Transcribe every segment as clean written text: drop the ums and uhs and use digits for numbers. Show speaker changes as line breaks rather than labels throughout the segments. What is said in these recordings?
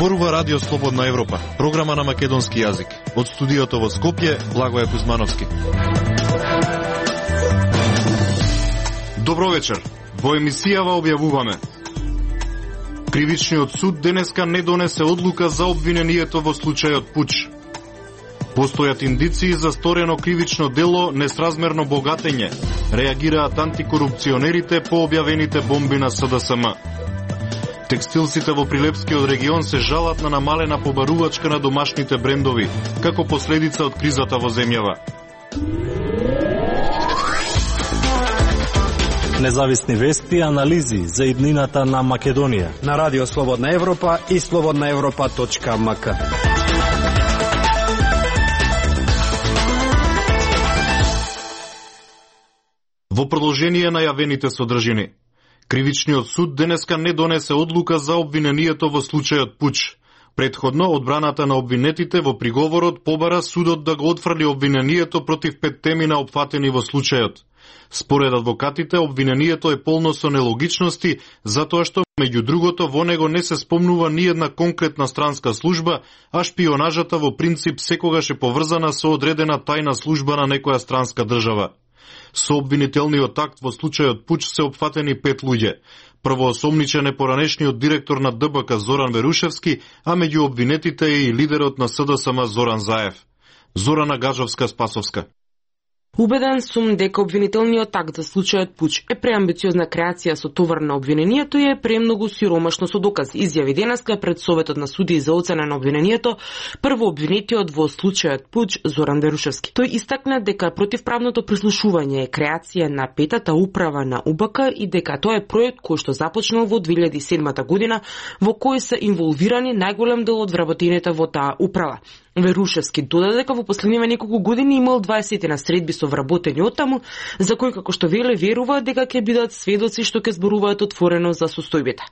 Зборува Радио Слободна Европа, програма на македонски јазик. Од студиото во Скопје, Благоје Кузмановски. Добро вечер. Во емисијава објавуваме: Кривичниот суд денеска не донесе одлука за обвинението во случајот Пуч. Постојат индиции за сторено кривично дело несразмерно богатење. Реагираат антикорупционерите по објавените бомби на СДСМ. Текстилците во Прилепскиот регион се жалат на намалена побарувачка на домашните брендови, како последица од кризата во земјава.
Независни вести и анализи за иднината на Македонија
на Радио Слободна Европа и slobodnaevropa.mk.
Во продолжение на јавените содржини, Кривичниот суд денеска не донесе одлука за обвинението во случајот Пуч. Предходно, одбраната на обвинетите во приговорот побара судот да го отфрли обвинението против 5 темина опфатени во случајот. Според адвокатите, обвинението е полно со нелогичности, затоа што, меѓу другото, во него не се спомнува ниедна конкретна странска служба, а шпионажата во принцип секогаш е поврзана со одредена тајна служба на некоја странска држава. Со обвинителниот акт во случајот Пуч се опфатени 5 луѓе. Првоосомничен е поранешниот директор на ДБК Зоран Верушевски, а меѓу обвинетите е и лидерот на СДСМ Зоран Заев. Зорана Гаджовска-Спасовска.
Убеден сум дека обвинителниот акт за случајот Пуч е преамбициозна креација со товар на обвинението и е премногу сиромашно со докази. Изјави денеска пред Советот на судии за оцена на обвинението прво обвинетиот во случајот Пуч Зоран Верушевски. Тој истакна дека противправното прислушување е креација на петата управа на УБК и дека тоа е проект кој што започнал во 2007 година, во кој се инволвирани најголем дел од вработените во таа управа. Верушевски додаде дека во последниве неколку години имал 20 на средби со вработени оттаму, за кои како што верува дека ќе бидат сведоци што ќе зборуваат отворено за состојбите.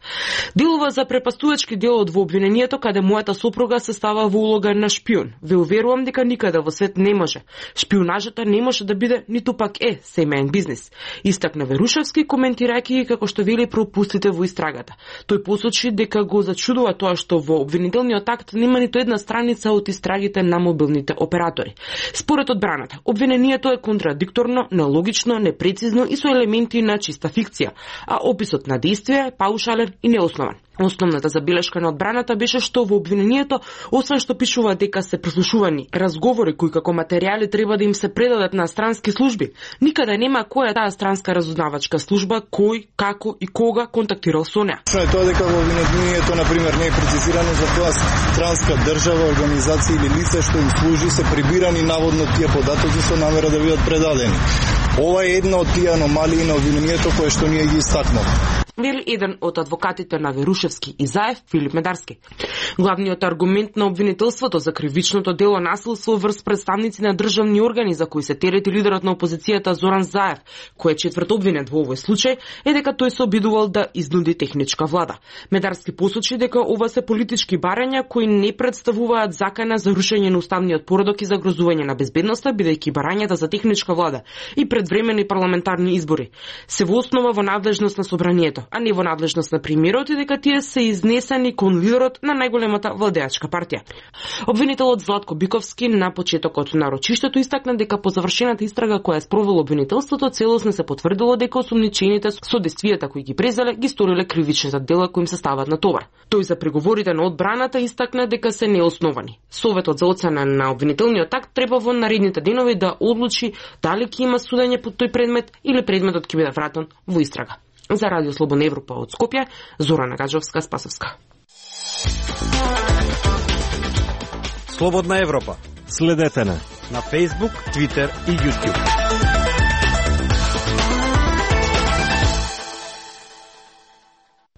Делува за препастувачки делот во обвинението каде мојата сопруга се става во улога на шпион. Ве уверувам дека никаде во свет не може. Шпионажата не може да биде ниту пак е семеен бизнис. Истакна Верушевски коментирајќи како што вели пропустите во истрагата. Тој посочи дека го зачудува тоа што во обвинителниот акт нема ниту една страница од истрагите на мобилните оператори. Според одбраната, обвинението е контрадикторно, нелогично, непрецизно и со елементи на чиста фикција, а описот на действие е паушален и неоснован. Основната забелешка на одбраната беше што во обвинението, освен што пишува дека се прислушувани разговори кои како материјали треба да им се предадат на странски служби, никаде нема која е таа странска разузнавачка служба, кој, како и кога контактирал со неа.
Тоа дека во обвинението, например, не е прецизирано за која странска држава, организација или лице што им служи се прибирани наводно тие податоци со намера да бидат предадени. Ова е една од тие аномалии на обвинението кое што ние ги истакнавме,
вели еден од адвокатите на Верушевски и Заев, Филип Медарски. Главниот аргумент на обвинителството за кривичното дело насилство врз представници на државни органи за кои се терети лидерот на опозицијата Зоран Заев, кој е четврт обвинет во овој случај, е дека тој се обидувал да изнуди техничка влада. Медарски посочи дека ова се политички барања кои не представуваат закана за рушење на уставниот поредок и загрозување на безбедноста, бидејќи барањата за техничка влада и предвремени парламентарни избори се во основа во надлежност на собранието, а не во надлежност на премиерот, и дека тие се изнесени кон лидерот на најголемата владеачка партија. Обвинителот Златко Биковски на почетокот на рочиштето истакна дека по завршената истрага која е спровело обвинителството целосно се потврдило дека осумничените со действијата кои ги презеле ги сториле кривичните дела кои им се стават на товар. Тој за преговорите на одбраната истакна дека се неосновани. Советот за оцена на обвинителниот акт треба во наредните денови да одлучи дали ќе има судење по тој предмет или предметот ќе биде вратен во истрага. За Радио Слободна Европа од Скопје, Зорана Гаджовска-Спасовска.
Слободна Европа.
Следете на
Facebook, Twitter и YouTube.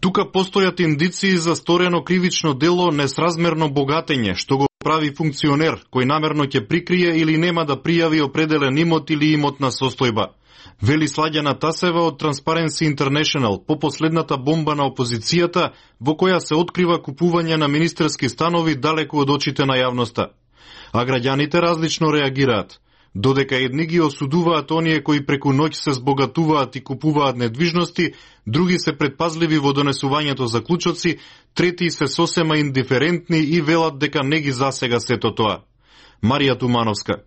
Тука постојат индиции за сторено кривично дело несразмерно богатење, што го прави функционер кој намерно ќе прикрие или нема да пријави определен имот или имотна состојба. Вели Сладјана Тасева од Transparency International по последната бомба на опозицијата во која се открива купување на министерски станови далеку од очите на јавноста. А граѓаните различно реагираат. Додека едни ги осудуваат оние кои преку ноќ се збогатуваат и купуваат недвижности, други се предпазливи во донесувањето заклучоци, трети се сосема индиферентни и велат дека не ги засега сето тоа. Марија Тумановска.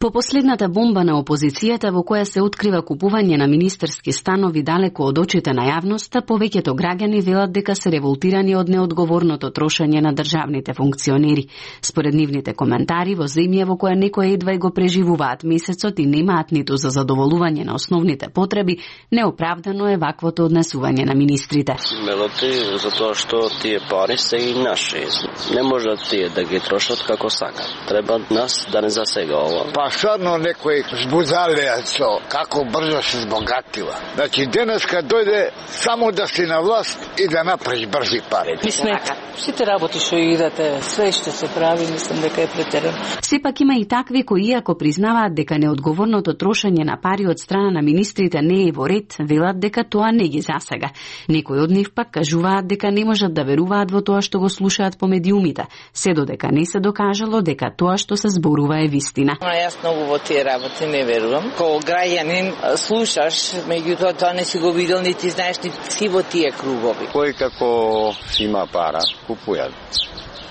По последната бомба на опозицијата во која се открива купување на министерски станови далеко од очите на јавноста, повеќето граѓани велат дека се револтирани од неодговорното трошење на државните функционери. Според нивните коментари, во земја во која некои едва и го преживуваат месецот и немаат ниту за задоволување на основните потреби, неоправдано е ваквото однесување на министрите.
Мелоти, затоа што тие пари се и наши. Не можат тие да ги трошат како сакат. Треба нас да не засега ова.
Стvarno некои збузалеацо, како брзо се збогатила. Значи, денеска дојде само да си на власт и да направиш брзи пари.
Мислам, сите работи што идете, све што се прави, мислам дека е претерано.
Сепак има и такви кои, иако признаваат дека неодговорното трошење на пари од страна на министрите не е во ред, велат дека тоа не ги засега. Некои од нив пак кажуваат дека не можат да веруваат во тоа што го слушаат по медиумите, се додека не се докажало дека тоа што се зборува е вистина.
Многу во тие работи не верувам. Кога граѓанин слушаш, меѓутоа тоа не си го видел, нити знаеш, нити си во тие кругови.
Кој како има пара, купујат.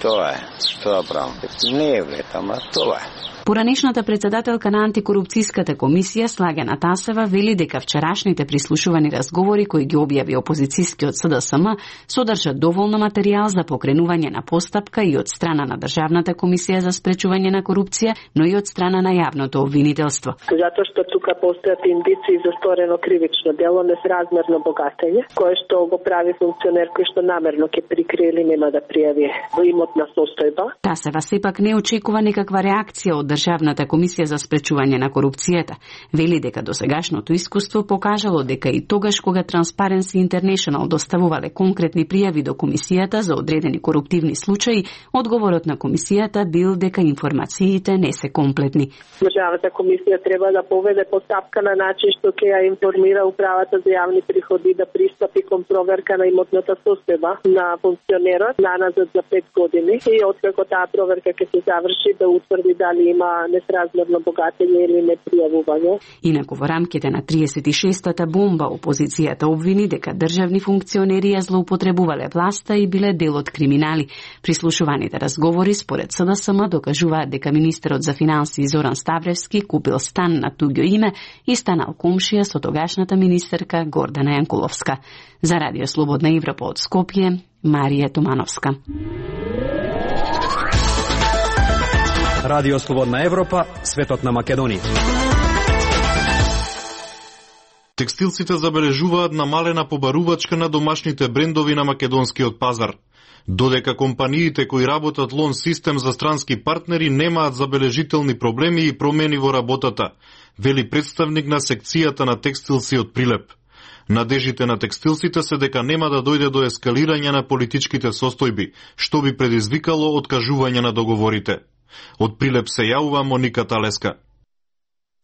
Тоа е, тоа правам. Не е вред, ама тоа е.
Поранешната председателка на антикорупцијската комисија Слагена Тасева вели дека вчерашните прислушувани разговори кои ги објави опозицијскиот СДСМ содржат доволно материјал за покренување на постапка и од страна на Државната комисија за спречување на корупција, но и од страна на јавното обвинителство.
Затоа што тука постојат индиции за сторено кривично дело, несразмерно богатење, кое што го прави функционер кој што намерно ќе прикрие или нема да пријави имотна состојба.
Тасева сепак не очекува никаква реакција од Државната комисија за спречување на корупцијата. Вели дека досегашното искуство покажало дека и тогаш кога Transparency International доставувале конкретни пријави до комисијата за одредени коруптивни случаи, одговорот на комисијата бил дека информациите не се комплетни.
Државната комисија треба да поведе постапка на начин што ќе ја информира управата за јавни приходи да пристапи кон проверка на имотната состојба на функционерот наназад за 5 години и откако таа проверка ќе се заврши да утврди дали има несразмерно богатење или непријавување.
Инаку во рамките на 36-та бомба опозицијата обвини дека државни функционери ја злоупотребувале власта и биле дел од криминали. Прислушуваните разговори според СДСМ докажуваат дека министерот за финансии Зоран Ставревски купил стан на туѓо име и станал комшија со тогашната министерка Гордана Јанкуловска. За Радио Слободна Европа од Скопје, Марија Тумановска.
Радио Слободна Европа, светот на Македонија.
Текстилците забележуваат намалена побарувачка на домашните брендови на македонскиот пазар. Додека компаниите кои работат лон систем за странски партнери немаат забележителни проблеми и промени во работата, вели представник на секцијата на текстилци од Прилеп. Надежите на текстилците се дека нема да дојде до ескалирање на политичките состојби, што би предизвикало откажување на договорите. Од Прилеп се јавува Моника Талеска.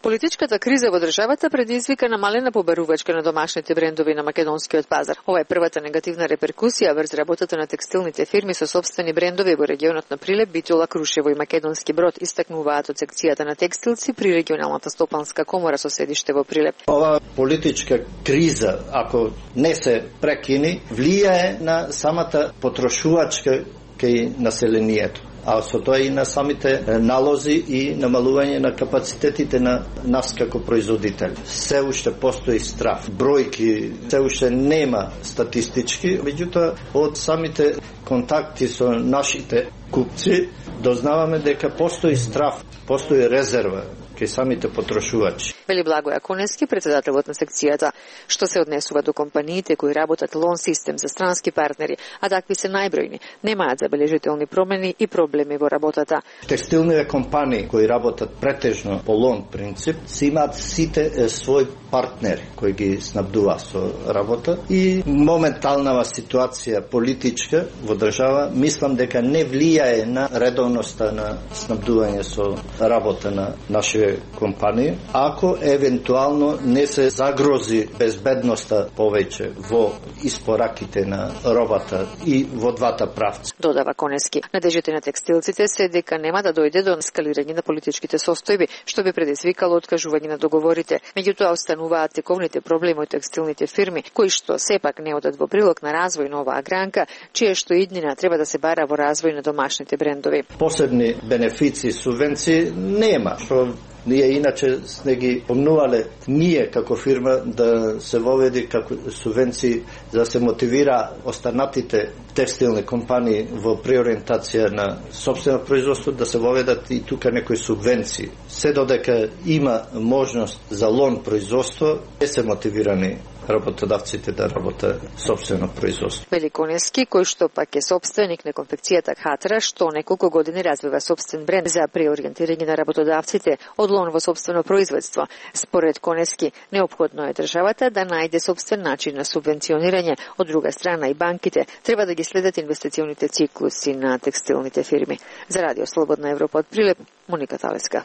Политичката криза во државата предизвика намалена побарувачка на домашните брендови на македонскиот пазар. Ова е првата негативна реперкусија врз работата на текстилните фирми со сопствени брендови во регионот на Прилеп, Битола, Крушево и Македонски Брод, истакнуваат од секцијата на текстилци при регионалната стопанска комора со седиште во Прилеп.
Ова политичка криза, ако не се прекини, влијае на самата потрошувачка кај населението, а со тоа и на самите налози и намалување на капацитетите на нас како производители. Се уште постои страф. Бројки се уште нема статистички, меѓутоа од самите контакти со нашите купци дознаваме дека постои страф, постои резерва кај самите потрошувачи.
Вели Благоја Конески, председателот на секцијата, што се однесува до компаниите кои работат лон систем за странски партнери, а такви се најбројни, немаат забележителни промени и проблеми во работата.
Текстилните компании кои работат претежно по лон принцип, си имаат сите свој партнери кои ги снабдува со работа и моменталната ситуација политичка во држава мислам дека не влијае на редовноста на снабдување со работа на нашите компании, ако евентуално не се загрози безбедноста повеќе во испораките на робата и во двата правци.
Додава Конески. Надежите на текстилците се дека нема да дојде до ескалирање на политичките состојби, што би предизвикало откажување на договорите. Меѓутоа остануваат тековните проблеми од текстилните фирми, кои што сепак не одат во прилог на развој на оваа гранка, чие што иднина треба да се бара во развој на домашните брендови.
Посебни бенефиции, субвенции нема, што ние иначе сме ги помнувале ние како фирма да се воведи како субвенции за да се мотивира останатите текстилни компании во преориентација на сопствено производство да се воведат и тука некои субвенции. Се додека има можност за лон производство, не се мотивирани работодавците да работат сопствено производство.
Великонески, кој што пак е сопственик на конфекцијата Хатра, што неколку години развива сопствен бренд за преориентирање на работодавците од лон во сопствено производство. Според Конески, неопходно е државата да најде сопствен начин на субвенционирање, од друга страна и банките треба да ги следат инвестиционите циклуси на текстилните фирми. За Радио Слободна Европа од Прилеп, Моника Талеска.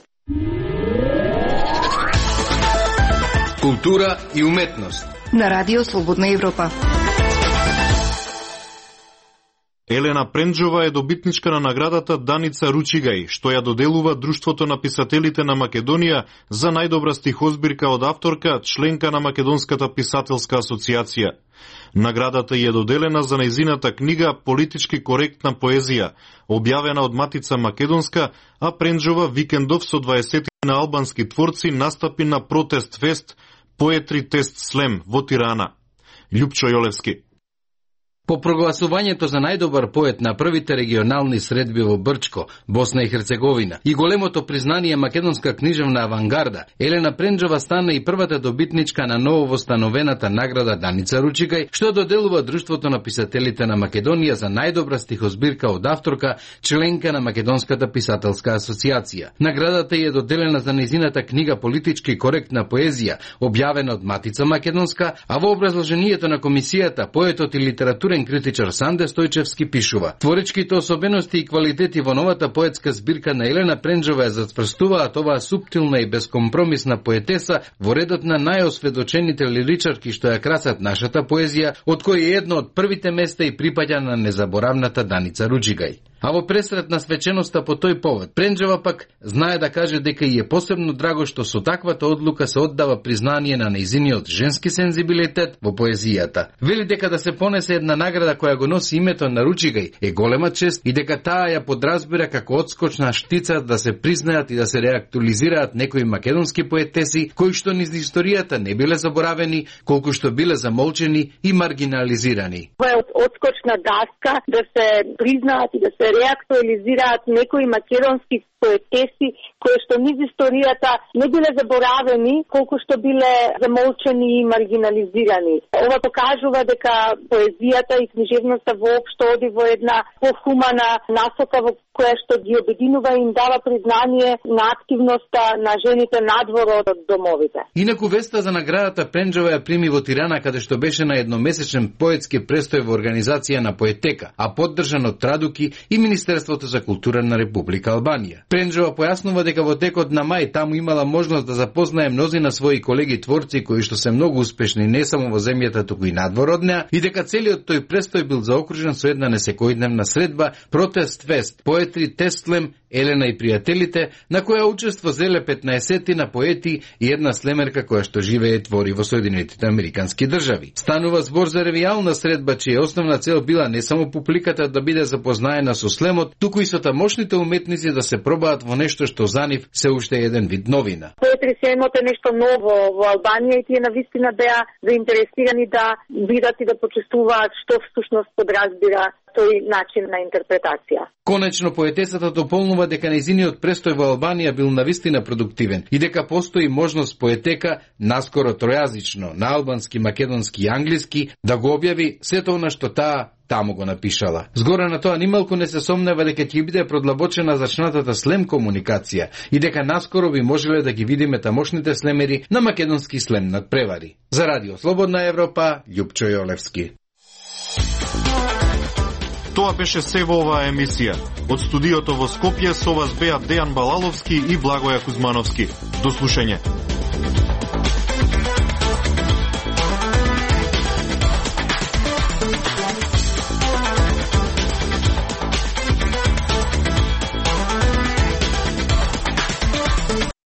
Култура и уметност
на Радио Слободна Европа.
Елена Пренџова е добитничка на наградата Даница Ручигај, што ја доделува Друштвото на писателите на Македонија за најдобра стихозбирка од авторка, членка на Македонската писателска асоциација. Наградата ја доделена за нејзината книга Политички коректна поезија, објавена од Матица Македонска, а Пренџова викендов со 20 на албански творци настапи на протест фест Поетри Тест Слем во Тирана. Љупчо Јолевски.
По прогласувањето за најдобар поет на првите регионални средби во Брчко, Босна и Херцеговина и големото признание македонска книжевна авангарда, Елена Пренџова стана и првата добитничка на нововостановената награда Даница Ручигај, што доделува Друштвото на писателите на Македонија за најдобра стихозбирка од авторка, членка на Македонската писателска асоциација. Наградата е доделена за нејзината книга Политички коректна поезија, објавена од Матица Македонска, а во образложението на комисијата поетот и литературен критичар Санде Стојчевски пишува: творичките особености и квалитети во новата поетска збирка на Елена Пренџова ја затврстуваат оваа суптилна и безкомпромисна поетеса во редот на најосведочените лиричарки што ја красат нашата поезија, од кои е едно од првите места и припаѓа на незаборавната Даница Ручигај. А во пресрет на свеченоста по тој повод, Пренџова пак знае да каже дека и е посебно драго што со таквата одлука се оддава признание на нејзиниот женски сензибилитет во поезијата. Вели дека да се понесе една награда која го носи името на Ручигај е голема чест и дека таа ја подразбира како одскочна штица да се признаат и да се реактуализираат некои македонски поетеси кои што низ историјата не биле заборавени, колку што биле замолчени и маргинализирани.
Ова е одскочна даска да се признаат и да се реактуализираат некои македонски поетеси кои што низ историјата не биле заборавени, колку што биле замолчени и маргинализирани. Ова покажува дека поезијата и книжевноста воопшто оди во една похумана насока во која што ги обединува и им дава признание на активноста на жените надвор од домовите.
Инаку веста за наградата Пренџова ја прими во Тирана, каде што беше на едномесечен поетски престој во организација на Поетека, а поддржан од Традуки и Министерството за култура на Република Албанија. Пренџова појаснува дека во текот на мај таму имала можност да запознае мнозина своји колеги творци кои што се многу успешни не само во земјата, туку и надвор од неа, и дека целиот тој престој бил заокружен со една несекојдневна средба Протест фест Поетри Тест Слем Елена и пријателите, на која учество зеле 15 на поети и една слемерка која што живее и твори во Соединетите Американски држави. Станува збор за ревијална средба чија основна цел била не само публиката да биде запознаена со слемот, туку и со тамошните уметници да се пробаат во нешто што за нив се уште еден вид новина.
Поетри слемот е нешто ново во Албанија и тие навистина беа заинтересирани да видат и да почувствуваат што всушност подразбира
тој начин на интерпретација.
Конечно, поетесата дополнува дека нејзиниот престој во Албанија бил навистина продуктивен и дека постои можност поетека наскоро тројазично, на албански, македонски и англиски, да го објави сето она што таа таму го напишала. Згора на тоа нималку не се сомнева дека ќе биде продлабочена зачнатата слем комуникација и дека наскоро би можеле да ги видиме тамошните слемери на македонски слем надпревари. За Радио Слободна Европа, Љупчо Јолевски.
Тоа беше се во оваа емисија. Од студиото во Скопје со вас беа Дејан Балаловски и Благоја Кузмановски. До слушање.